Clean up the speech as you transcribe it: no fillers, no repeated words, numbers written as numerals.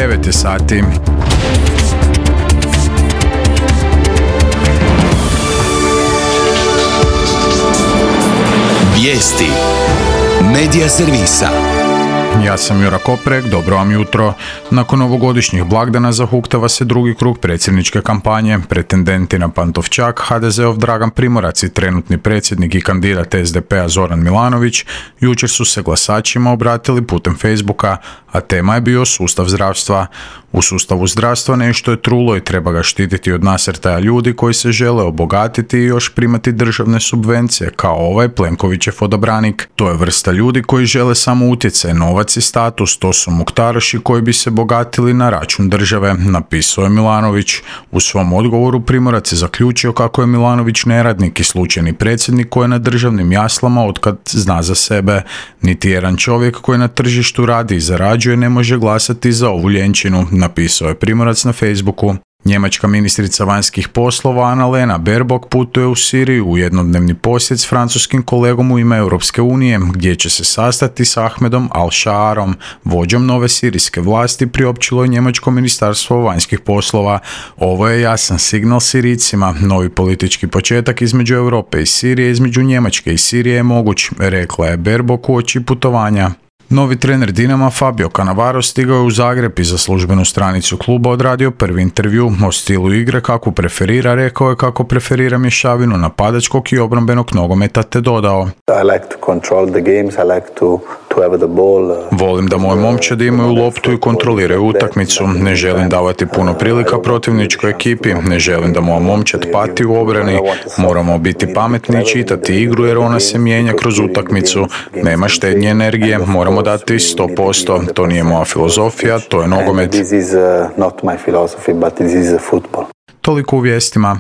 9 je sati. Vijesti Medija servisa. Ja sam Jura Koprek, dobro vam jutro. Nakon novogodišnjih blagdana zahuktava se drugi krug predsjedničke kampanje. Pretendenti na Pantovčak, HDZ-ov Dragan Primorac i trenutni predsjednik i kandidat SDP-a Zoran Milanović jučer su se glasačima obratili putem Facebooka, a tema je bio sustav zdravstva. U sustavu zdravstva nešto je trulo i treba ga štititi od nasrtaja ljudi koji se žele obogatiti i još primati državne subvencije, kao ovaj Plenkovićev odabranik. To je vrsta ljudi koji žele samo utjecaj, novac i status, to su muktaroši koji bi se bogatili na račun države, napisao je Milanović. U svom odgovoru Primorac je zaključio kako je Milanović neradnik i slučajni predsjednik koji je na državnim jaslama otkad zna za sebe. Niti jedan čovjek koji na tržištu radi i zarađuje ne može glasati za ovu ljenčinu, napisao je Primorac na Facebooku. Njemačka ministrica vanjskih poslova Annalena Baerbock putuje u Siriju u jednodnevni posjet s francuskim kolegom u ime Europske unije, gdje će se sastati s Ahmedom Al-Shaarom, vođom nove sirijske vlasti, priopćilo je njemačko ministarstvo vanjskih poslova. Ovo je jasan signal Sirijcima. Novi politički početak između Europe i Sirije, između Njemačke i Sirije je moguć, rekla je Baerbock uoči putovanja. Novi trener Dinama Fabio Cannavaro stigao je u Zagreb i za službenu stranicu kluba odradio prvi intervju. O stilu igre kakvu preferira, rekao je kako preferira mješavinu napadačkog i obrambenog nogometa, te dodao: Volim da moji momčadi imaju loptu i kontroliraju utakmicu. Ne želim davati puno prilika protivničkoj ekipi. Ne želim da moja momčad pati u obrani. Moramo biti pametni i čitati igru jer ona se mijenja kroz utakmicu. Nema štednje energije. Moramo dati 100%. To nije moja filozofija, to je nogomet. Toliko u vijestima.